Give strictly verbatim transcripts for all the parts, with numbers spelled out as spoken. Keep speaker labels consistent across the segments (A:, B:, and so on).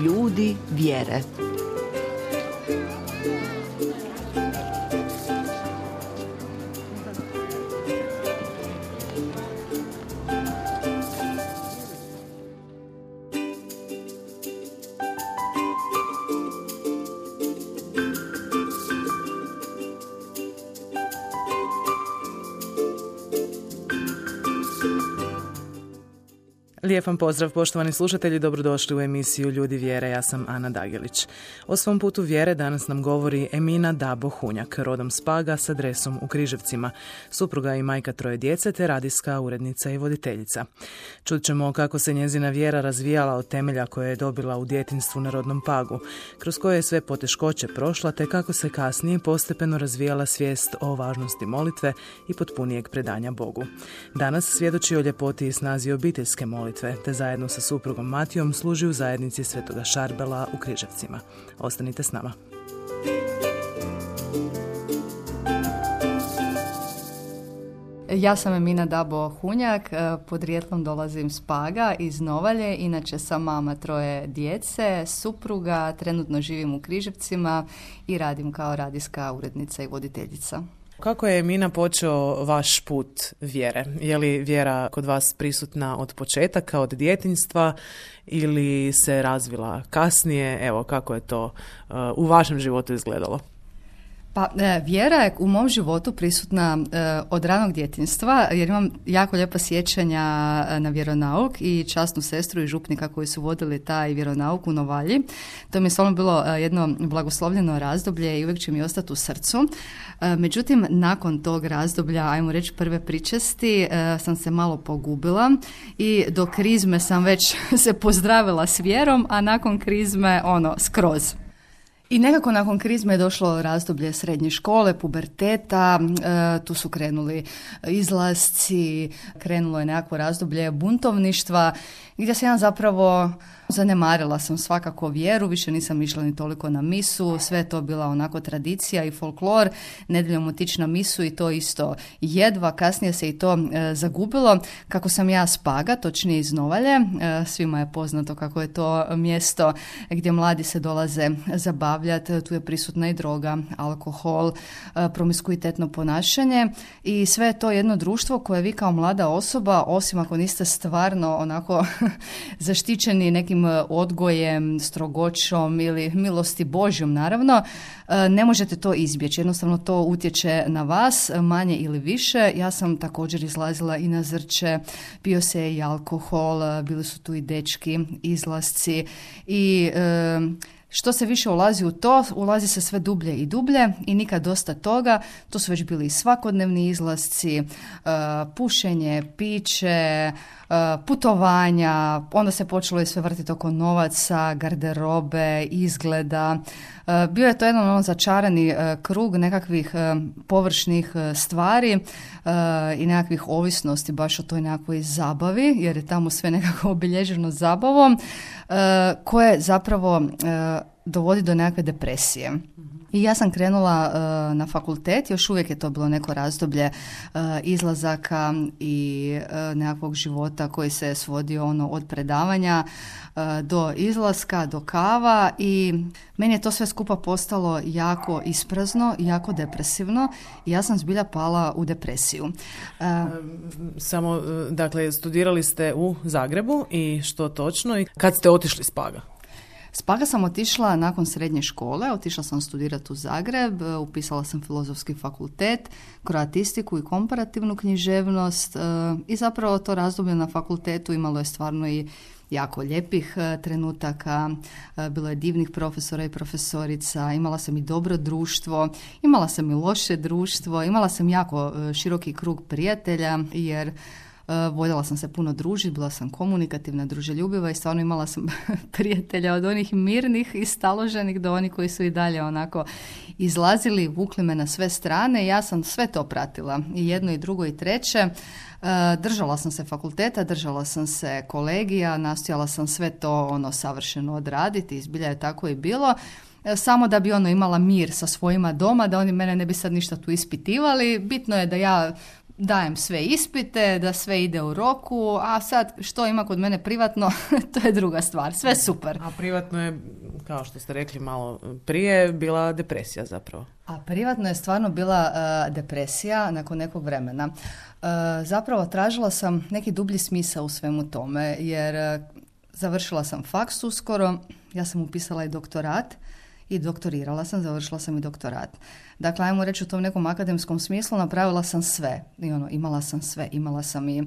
A: Ljudi vjere.
B: Lijep vam pozdrav, poštovani slušatelji, dobrodošli u emisiju Ljudi vjere, ja sam Ana Dagelić. O svom putu vjere danas nam govori Emina Dabo Hunjak, rodom s Paga s adresom u Križevcima, supruga i majka troje djece te radijska urednica i voditeljica. Čut ćemo kako se njezina vjera razvijala od temelja koje je dobila u djetinjstvu na rodnom Pagu, kroz koje je sve poteškoće prošla te kako se kasnije postepeno razvijala svijest o važnosti molitve i potpunijeg predanja Bogu. Danas svjedoči o ljepoti i snazi obiteljske molitve, te zajedno sa suprugom Matijom služi u zajednici Svetoga Šarbela u Križevcima. Ostanite s nama.
C: Ja sam Emina Dabo Hunjak, podrijetlom dolazim s Paga, iz Novalje, inače sam mama troje djece, supruga, trenutno živim u Križevcima i radim kao radijska urednica i voditeljica.
B: Kako je, Emina, počeo vaš put vjere? Je li vjera kod vas prisutna od početaka, od djetinjstva ili se razvila kasnije? Evo, kako je to uh, u vašem životu izgledalo?
C: Pa e, vjera je u mom životu prisutna e, od ranog djetinjstva, jer imam jako lijepa sjećanja na vjeronauk i časnu sestru i župnika koji su vodili taj vjeronauk u Novalji. To mi je stvarno bilo e, jedno blagoslovljeno razdoblje i uvijek će mi ostati u srcu. E, međutim, nakon tog razdoblja, ajmo reći prve pričesti, e, sam se malo pogubila i do krizme sam već se pozdravila s vjerom, a nakon krizme ono skroz. I nekako nakon krizme je došlo razdoblje srednje škole, puberteta, e, tu su krenuli izlasci, krenulo je nekako razdoblje buntovništva, gdje sam ja zapravo zanemarila sam svakako vjeru, više nisam išla ni toliko na misu, sve je to bila onako tradicija i folklor, nedjeljom otići na misu i to isto jedva, kasnije se i to e, zagubilo. Kako sam ja s Paga, točnije iz Novalje, e, svima je poznato kako je to mjesto gdje mladi se dolaze zabavljati, tu je prisutna i droga, alkohol, e, promiskuitetno ponašanje i sve je to jedno društvo koje vi kao mlada osoba, osim ako niste stvarno onako zaštićeni nekim odgojem, strogoćom ili milosti Božjom naravno, ne možete to izbjeći. Jednostavno to utječe na vas, manje ili više. Ja sam također izlazila i na zrče, pio se i alkohol, bili su tu i dečki, izlasci i e, što se više ulazi u to, ulazi se sve dublje i dublje i nikad dosta toga. To su već bili svakodnevni izlasci, uh, pušenje, piće, uh, putovanja, onda se počelo i sve vrtiti oko novaca, garderobe, izgleda. Uh, bio je to jedan ono začarani uh, krug nekakvih uh, površnih uh, stvari uh, i nekakvih ovisnosti baš o toj nekakvoj zabavi, jer je tamo sve nekako obilježeno zabavom, uh, koje zapravo uh, dovodi do nekakve depresije. I ja sam krenula uh, na fakultet, još uvijek je to bilo neko razdoblje uh, izlazaka i uh, nekakvog života koji se svodio ono od predavanja uh, do izlaska, do kava i meni je to sve skupa postalo jako isprazno, jako depresivno i ja sam zbilja pala u depresiju. Uh,
B: Samo, dakle, studirali ste u Zagrebu i što točno i kad ste otišli s Paga?
C: S Paga sam otišla nakon srednje škole, otišla sam studirati u Zagreb, upisala sam filozofski fakultet, kroatistiku i komparativnu književnost i zapravo to razdoblje na fakultetu imalo je stvarno i jako lijepih trenutaka, bilo je divnih profesora i profesorica, imala sam i dobro društvo, imala sam i loše društvo, imala sam jako široki krug prijatelja jer Uh, voljela sam se puno družiti, bila sam komunikativna, druželjubiva i stvarno imala sam prijatelja od onih mirnih i staloženih do onih koji su i dalje onako izlazili, vukli me na sve strane i ja sam sve to pratila, i jedno i drugo i treće. Uh, držala sam se fakulteta, držala sam se kolegija, nastojala sam sve to ono savršeno odraditi i zbilja je tako i bilo. Samo da bi ono imala mir sa svojima doma, da oni mene ne bi sad ništa tu ispitivali. Bitno je da ja dajem sve ispite, da sve ide u roku, a sad što ima kod mene privatno, to je druga stvar, sve super.
B: A privatno je, kao što ste rekli malo prije, bila depresija zapravo.
C: A privatno je stvarno bila uh, depresija nakon nekog vremena. Uh, zapravo tražila sam neki dublji smisao u svemu tome, jer uh, završila sam faks uskoro, ja sam upisala i doktorat, i doktorirala sam, završila sam i doktorat. Dakle, ajmo reći u tom nekom akademskom smislu, napravila sam sve. I ono, imala sam sve. Imala sam i e,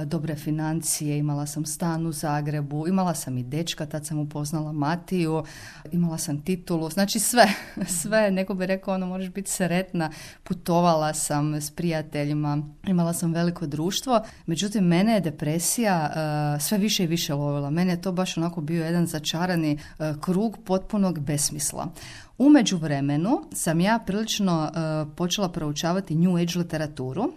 C: dobre financije, imala sam stan u Zagrebu, imala sam i dečka, tad sam upoznala Matiju, imala sam titulu, znači sve. Sve, neko bi rekao, ono, možeš biti sretna. Putovala sam s prijateljima, imala sam veliko društvo. Međutim, mene je depresija e, sve više i više lovila. Mene je to baš onako bio jedan začarani e, krug potpunog besmisla. U međuvremenu sam ja prilično uh, počela proučavati New Age literaturu.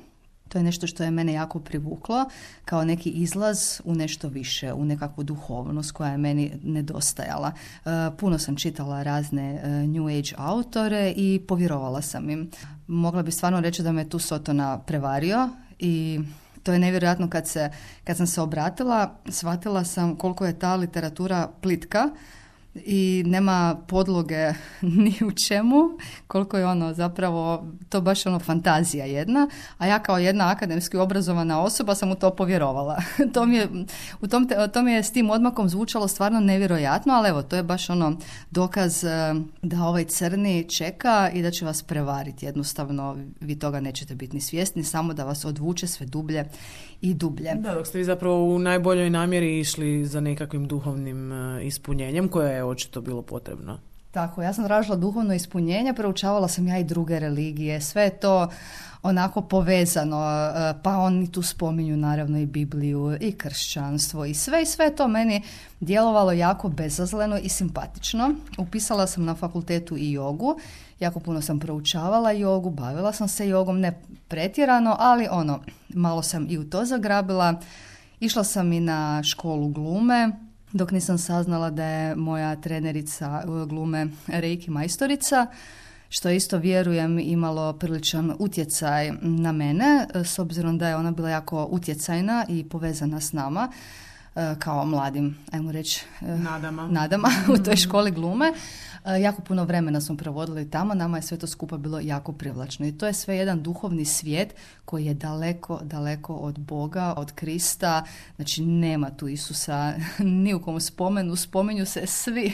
C: To je nešto što je mene jako privuklo kao neki izlaz u nešto više, u nekakvu duhovnost koja je meni nedostajala. Uh, puno sam čitala razne uh, New Age autore i povjerovala sam im. Mogla bi stvarno reći da me tu Sotona prevario i to je nevjerojatno kad, se, kad sam se obratila, shvatila sam koliko je ta literatura plitka i nema podloge ni u čemu, koliko je ono zapravo to baš ono fantazija jedna, a ja kao jedna akademski obrazovana osoba sam u to povjerovala. to mi je, u tom te, to mi je s tim odmakom zvučalo stvarno nevjerojatno, ali evo, to je baš ono dokaz da ovaj crni čeka i da će vas prevariti. Jednostavno, vi toga nećete biti ni svjesni, samo da vas odvuče sve dublje i dublje.
B: Da, dok ste vi zapravo u najboljoj namjeri išli za nekakvim duhovnim ispunjenjem koje je očito bilo potrebno.
C: Tako, ja sam tražila duhovno ispunjenje, proučavala sam ja i druge religije, sve je to onako povezano, pa oni tu spominju naravno i Bibliju i kršćanstvo i sve i sve je to meni djelovalo jako bezazleno i simpatično. Upisala sam na fakultetu i jogu, jako puno sam proučavala jogu, bavila sam se jogom, ne pretjerano, ali ono, malo sam i u to zagrabila. Išla sam i na školu glume, dok nisam saznala da je moja trenerica glume reiki majstorica, što isto vjerujem imalo priličan utjecaj na mene, s obzirom da je ona bila jako utjecajna i povezana s nama, kao mladim, ajmo reći,
B: nadama,
C: nadama u toj školi glume. Jako puno vremena smo provodili tamo, nama je sve to skupa bilo jako privlačno i to je sve jedan duhovni svijet koji je daleko, daleko od Boga, od Krista, znači nema tu Isusa ni u kom spomenu, spominju se svi,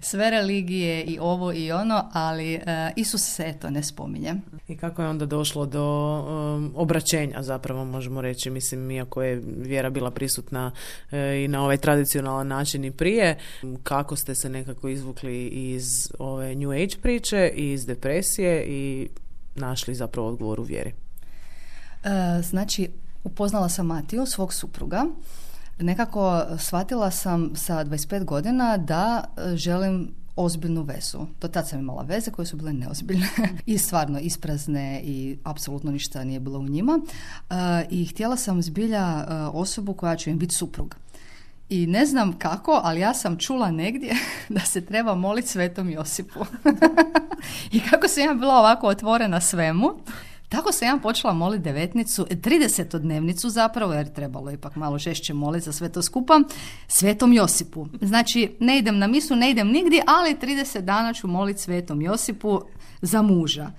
C: sve religije i ovo i ono, ali uh, Isus se eto ne spominje.
B: I kako je onda došlo do um, obraćenja zapravo možemo reći, mislim iako je vjera bila prisutna e, i na ovaj tradicionalan način i prije, kako ste se nekako izvukli iz ove New Age priče i iz depresije i našli zapravo odgovor u vjeri?
C: E, znači, upoznala sam Matiju, svog supruga. Nekako shvatila sam sa dvadeset pet godina da želim ozbiljnu vezu. Do tad sam imala veze koje su bile neozbiljne i stvarno isprazne i apsolutno ništa nije bilo u njima. E, I htjela sam zbilja osobu koja će im biti suprug. I ne znam kako, ali ja sam čula negdje da se treba moliti Svetom Josipu. I kako sam ja bila ovako otvorena svemu, tako sam ja počela moliti devetnicu, tridesetodnevnicu zapravo, jer trebalo ipak malo žešće moliti za sve to skupa, Svetom Josipu. Znači, ne idem na misu, ne idem nigdje, ali trideset dana ću moliti Svetom Josipu za muža.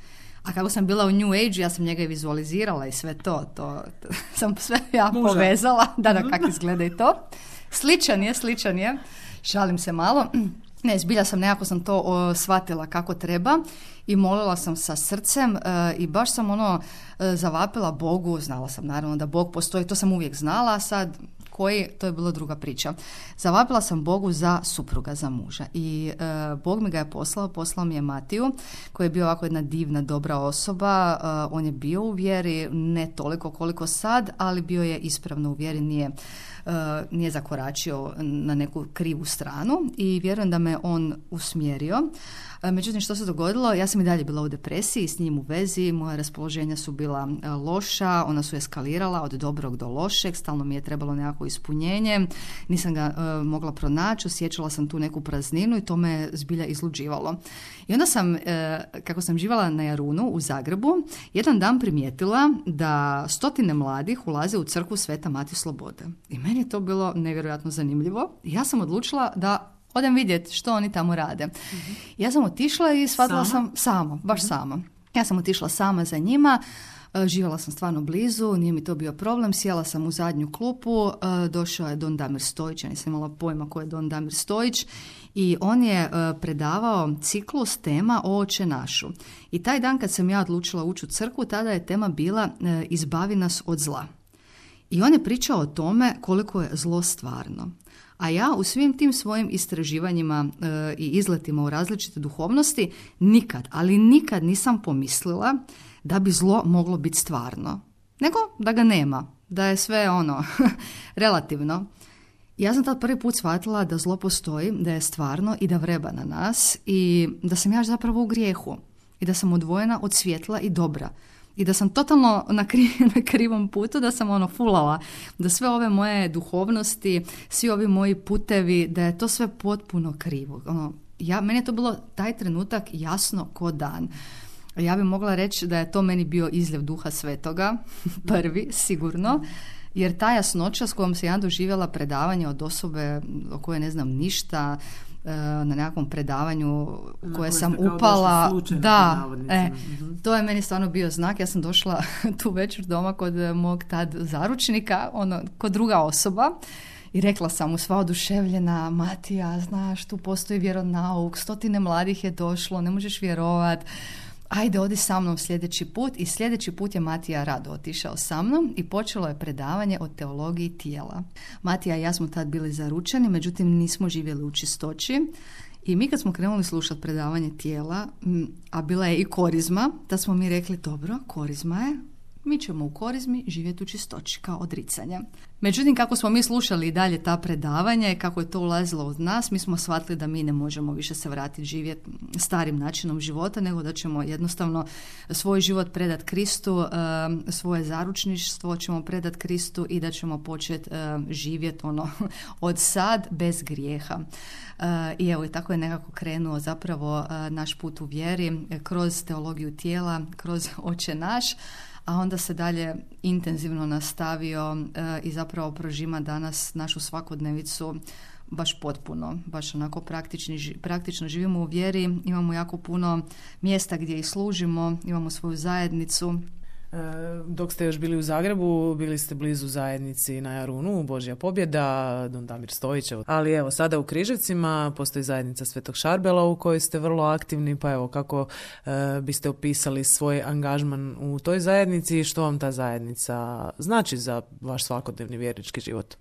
C: A kako sam bila u New Age, ja sam njega i vizualizirala i sve to, to, to sam sve ja muža povezala, da, da, kako izgleda i to. Sličan je, sličan je. Šalim se malo. Ne, zbilja sam nekako sam to o, shvatila kako treba i molila sam sa srcem e, i baš sam ono e, zavapila Bogu, znala sam naravno da Bog postoji, to sam uvijek znala, a sad koji, to je bila druga priča. Zavapila sam Bogu za supruga, za muža i e, Bog mi ga je poslao, poslao mi je Matiju koji je bio ovako jedna divna, dobra osoba, e, on je bio u vjeri, ne toliko koliko sad, ali bio je ispravno u vjeri, nije nije zakoračio na neku krivu stranu i vjerujem da me on usmjerio. Međutim, što se dogodilo? Ja sam i dalje bila u depresiji, s njim u vezi, moja raspoloženja su bila loša, ona su eskalirala od dobrog do lošeg, stalno mi je trebalo nekako ispunjenje, nisam ga uh, mogla pronaći, osjećala sam tu neku prazninu i to me zbilja izluđivalo. I onda sam, uh, kako sam živala na Jarunu u Zagrebu, jedan dan primijetila da stotine mladih ulaze u crkvu Sveta Matije Slobode. I meni je to bilo nevjerojatno zanimljivo. I ja sam odlučila da odem vidjeti što oni tamo rade. Mm-hmm. Ja sam otišla i shvatila sam samo, baš mm-hmm. sama. Ja sam otišla sama za njima, živjela sam stvarno blizu, nije mi to bio problem, sjela sam u zadnju klupu, došao je Don Damir Stojić, ja nisam imala pojma ko je Don Damir Stojić, i on je predavao ciklus tema o Oče našu. I taj dan kad sam ja odlučila ući u crkvu, tada je tema bila Izbavi nas od zla. I on je pričao o tome koliko je zlo stvarno. A ja u svim tim svojim istraživanjima e, i izletima u različite duhovnosti nikad, ali nikad nisam pomislila da bi zlo moglo biti stvarno. Nego da ga nema, da je sve ono relativno. Ja sam tad prvi put shvatila da zlo postoji, da je stvarno i da vreba na nas i da sam ja zapravo u grijehu i da sam odvojena od svjetla i dobra. I da sam totalno na, kri, na krivom putu, da sam ono fulala, da sve ove moje duhovnosti, svi ovi moji putevi, da je to sve potpuno krivo. Ono, ja, meni je to bilo taj trenutak jasno ko dan. Ja bih mogla reći da je to meni bio izljev Duha Svetoga, prvi, sigurno, jer ta jasnoća s kojom sam ja doživjela predavanje od osobe o kojoj ne znam ništa, na nekakvom predavanju u koje sam upala, da, e, to je meni stvarno bio znak. Ja sam došla tu večer doma kod mog tad zaručnika, ono, kod druga osoba, i rekla sam mu sva oduševljena: Matija, znaš, tu postoji vjeronauk, stotine mladih je došlo, ne možeš vjerovat, ajde odi sa mnom sljedeći put. I sljedeći put je Matija rado otišao sa mnom i počelo je predavanje o teologiji tijela. Matija i ja smo tad bili zaručeni, međutim nismo živjeli u čistoći. I mi kad smo krenuli slušati predavanje tijela, a bila je i korizma, da smo mi rekli: dobro, korizma je, mi ćemo u korizmi živjeti u čistoći kao odricanje. Međutim, kako smo mi slušali i dalje ta predavanja i kako je to ulazilo od nas, mi smo shvatili da mi ne možemo više se vratiti živjeti starim načinom života, nego da ćemo jednostavno svoj život predati Kristu, svoje zaručništvo ćemo predati Kristu i da ćemo početi živjeti ono od sad bez grijeha. I evo, i tako je nekako krenuo zapravo naš put u vjeri kroz teologiju tijela, kroz Oče naš, a onda se dalje intenzivno nastavio e, i zapravo prožima danas našu svakodnevicu baš potpuno, baš onako praktični, praktično živimo u vjeri, imamo jako puno mjesta gdje i služimo, imamo svoju zajednicu.
B: Dok ste još bili u Zagrebu, bili ste blizu zajednici na Jarunu, Božja pobjeda, Don Damir Stojićev. Ali evo, sada u Križevcima postoji zajednica Svetog Šarbela u kojoj ste vrlo aktivni, pa evo, kako e, biste opisali svoj angažman u toj zajednici i što vam ta zajednica znači za vaš svakodnevni vjernički život?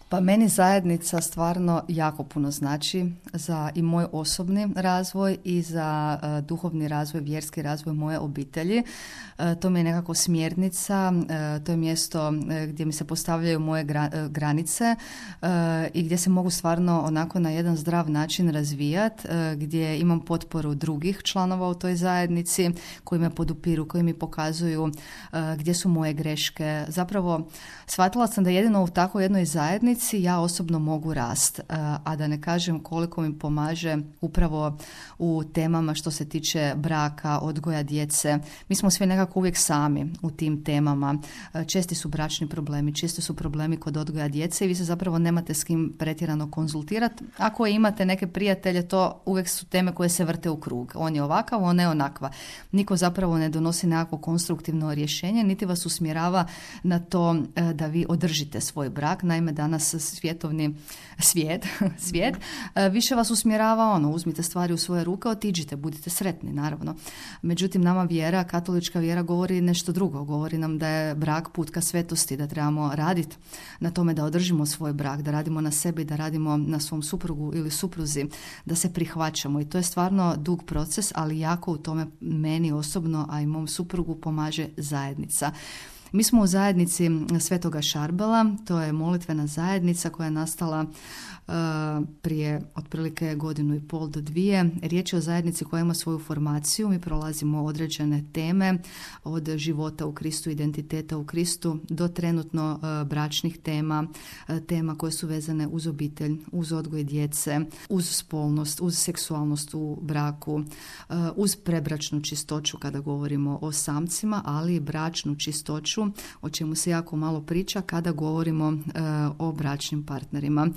C: Pa meni zajednica stvarno jako puno znači za i moj osobni razvoj i za uh, duhovni razvoj, vjerski razvoj moje obitelji. Uh, to mi je nekako smjernica, uh, to je mjesto uh, gdje mi se postavljaju moje gra, uh, granice uh, i gdje se mogu stvarno onako na jedan zdrav način razvijati, uh, gdje imam potporu drugih članova u toj zajednici koji me podupiru, koji mi pokazuju uh, gdje su moje greške. Zapravo shvatila sam da jedino u tako jednoj zajednici ja osobno mogu rast, a da ne kažem koliko mi pomaže upravo u temama što se tiče braka, odgoja djece. Mi smo svi nekako uvijek sami u tim temama. Česti su bračni problemi, česti su problemi kod odgoja djece i vi se zapravo nemate s kim pretjerano konzultirati. Ako imate neke prijatelje, to uvijek su teme koje se vrte u krug. On je ovakav, on je onakva. Niko zapravo ne donosi nekako konstruktivno rješenje, niti vas usmjerava na to da vi održite svoj brak. Naime, danas svjetovni svijet, svijet više vas usmjerava ono, uzmite stvari u svoje ruke, otiđite, budite sretni, naravno. Međutim, nama vjera, katolička vjera govori nešto drugo. Govori nam da je brak put ka svetosti, da trebamo raditi na tome da održimo svoj brak, da radimo na sebi, da radimo na svom suprugu ili supruzi, da se prihvaćamo. I to je stvarno dug proces, ali jako u tome meni osobno, a i mom suprugu pomaže zajednica. Mi smo u zajednici Svetoga Šarbela, to je molitvena zajednica koja je nastala uh, prije otprilike godinu i pol do dvije. Riječ je o zajednici koja ima svoju formaciju, mi prolazimo određene teme od života u Kristu, identiteta u Kristu, do trenutno uh, bračnih tema, uh, tema koje su vezane uz obitelj, uz odgoj djece, uz spolnost, uz seksualnost u braku, uh, uz prebračnu čistoću kada govorimo o samcima, ali i bračnu čistoću, o čemu se jako malo priča kada govorimo uh, o bračnim partnerima.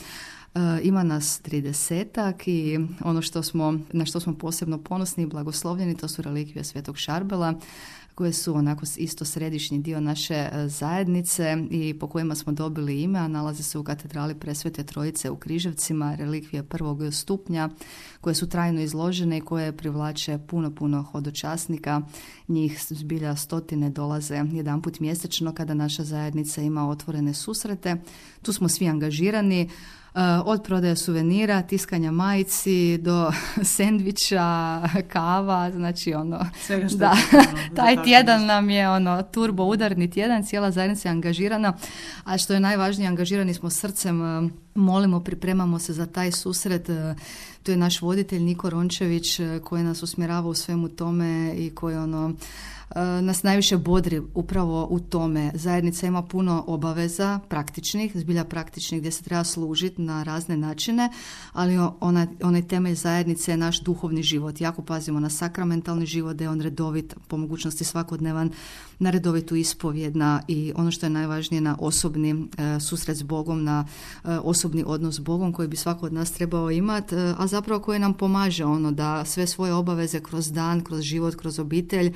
C: Uh, ima nas tridesetak i ono što smo, na što smo posebno ponosni i blagoslovljeni, to su relikvije Svetog Šarbela, koje su onako isto središnji dio naše zajednice i po kojima smo dobili ime, a nalaze se u katedrali Presvete Trojice u Križevcima, relikvije prvog stupnja, koje su trajno izložene i koje privlače puno, puno hodočasnika. Njih zbilja stotine dolaze jedanput mjesečno kada naša zajednica ima otvorene susrete. Tu smo svi angažirani, od prodaje suvenira, tiskanja majici do sendviča, kava, znači ono,
B: svega što
C: da,
B: je, ono,
C: taj tjedan nam je ono turbo udarni tjedan, cijela zajednica je angažirana, a što je najvažnije, angažirani smo srcem, molimo, pripremamo se za taj susret. Tu je naš voditelj Niko Rončević koji nas usmjerava u svemu tome i koji ono nas najviše bodri upravo u tome. Zajednica ima puno obaveza praktičnih, zbilja praktičnih, gdje se treba služiti na razne načine, ali ona, onaj temelj zajednice je naš duhovni život. Jako pazimo na sakramentalni život, da je on redovit, po mogućnosti svakodnevan, na redovitu ispovjed, na, i ono što je najvažnije, na osobni e, susret s Bogom, na e, osobni odnos s Bogom koji bi svako od nas trebao imati, e, a zapravo koji nam pomaže ono da sve svoje obaveze kroz dan, kroz život, kroz obitelj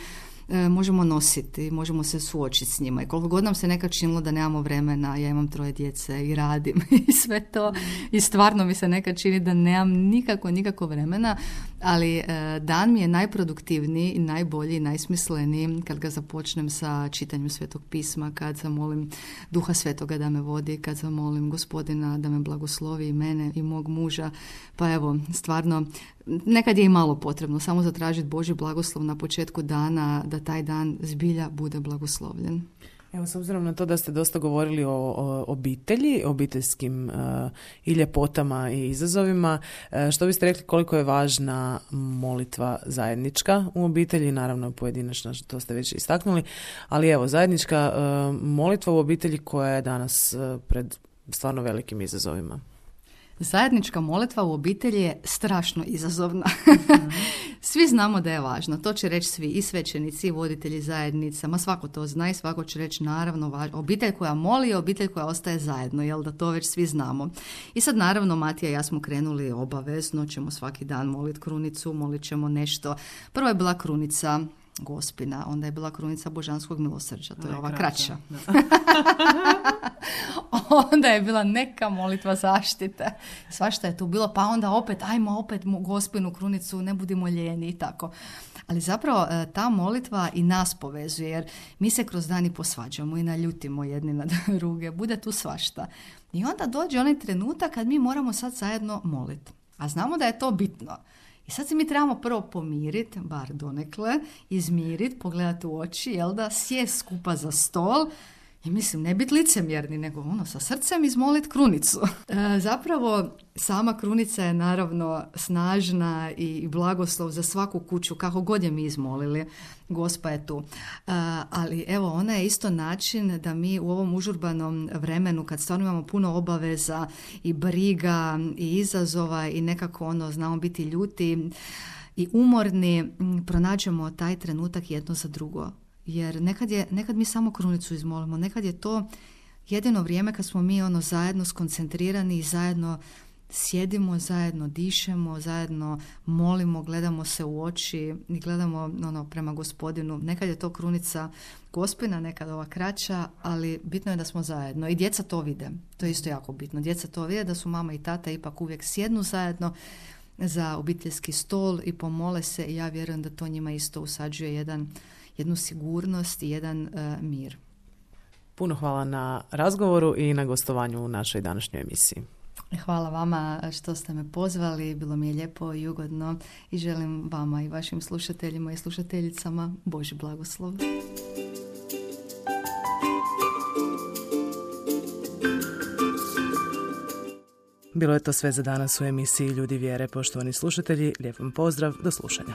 C: E, možemo nositi, možemo se suočiti s njima. I koliko god nam se nekad činilo da nemamo vremena, ja imam troje djece i radim i sve to, i stvarno mi se nekad čini da nemam nikako, nikako vremena, ali e, dan mi je najproduktivniji i najbolji i najsmisleniji kad ga započnem sa čitanjem Svetog pisma, kad zamolim Duha Svetoga da me vodi, kad zamolim Gospodina da me blagoslovi i mene i mog muža. Pa evo, stvarno, nekad je i malo potrebno samo zatražiti Božji blagoslov na početku dana, da taj dan zbilja bude blagoslovljen.
B: Evo, s obzirom na to da ste dosta govorili o, o obitelji, obiteljskim uh, i ljepotama i izazovima, uh, što biste rekli koliko je važna molitva zajednička u obitelji, naravno pojedinačna, to ste već istaknuli, ali evo, zajednička uh, molitva u obitelji koja je danas uh, pred stvarno velikim izazovima.
C: Zajednička molitva u obitelji je strašno izazovna. Mm-hmm. Svi znamo da je važno. To će reći svi, i svećenici, i voditelji zajednica. Ma svako to zna i svako će reći naravno važno. Obitelj koja moli je obitelj koja ostaje zajedno, jel da to već svi znamo. I sad naravno Matija i ja smo krenuli obavezno, ćemo svaki dan moliti krunicu, molit ćemo nešto. Prvo je bila krunica Gospina, onda je bila krunica Božanskog milosrđa, to je ova kraća. Onda je bila neka molitva zaštite. Svašta je tu bilo, pa onda opet, ajmo opet Gospinu krunicu, ne budimo ljeni i tako. Ali zapravo ta molitva i nas povezuje, jer mi se kroz dan i posvađamo i naljutimo jedni na druge, bude tu svašta. I onda dođe onaj trenutak kad mi moramo sad zajedno moliti. A znamo da je to bitno. I sad se mi trebamo prvo pomiriti, bar donekle, izmiriti, pogledati u oči, jel da, sjest skupa za stol i mislim, ne biti licemjerni, nego ono, sa srcem izmoliti krunicu. E, zapravo, sama krunica je naravno snažna i blagoslov za svaku kuću, kako god je mi izmolili, Gospa je tu. E, ali evo, ona je isto način da mi u ovom užurbanom vremenu, kad stvarno imamo puno obaveza i briga i izazova i nekako ono, znamo biti ljuti i umorni, pronađemo taj trenutak jedno za drugo. Jer nekad, je, nekad mi samo krunicu izmolimo, nekad je to jedino vrijeme kad smo mi ono zajedno skoncentrirani i zajedno sjedimo, zajedno dišemo, zajedno molimo, gledamo se u oči i gledamo ono, prema Gospodinu. Nekad je to krunica Gospina, nekad ova kraća, ali bitno je da smo zajedno. I djeca to vide, to je isto jako bitno. Djeca to vide da su mama i tata ipak uvijek sjednu zajedno za obiteljski stol i pomole se i ja vjerujem da to njima isto usađuje jedan jednu sigurnost i jedan uh, mir.
B: Puno hvala na razgovoru i na gostovanju u našoj današnjoj emisiji.
C: Hvala vama što ste me pozvali, bilo mi je lijepo i ugodno i želim vama i vašim slušateljima i slušateljicama Božji blagoslov.
B: Bilo je to sve za danas u emisiji Ljudi vjere. Poštovani slušatelji, lijep vam pozdrav, do slušanja.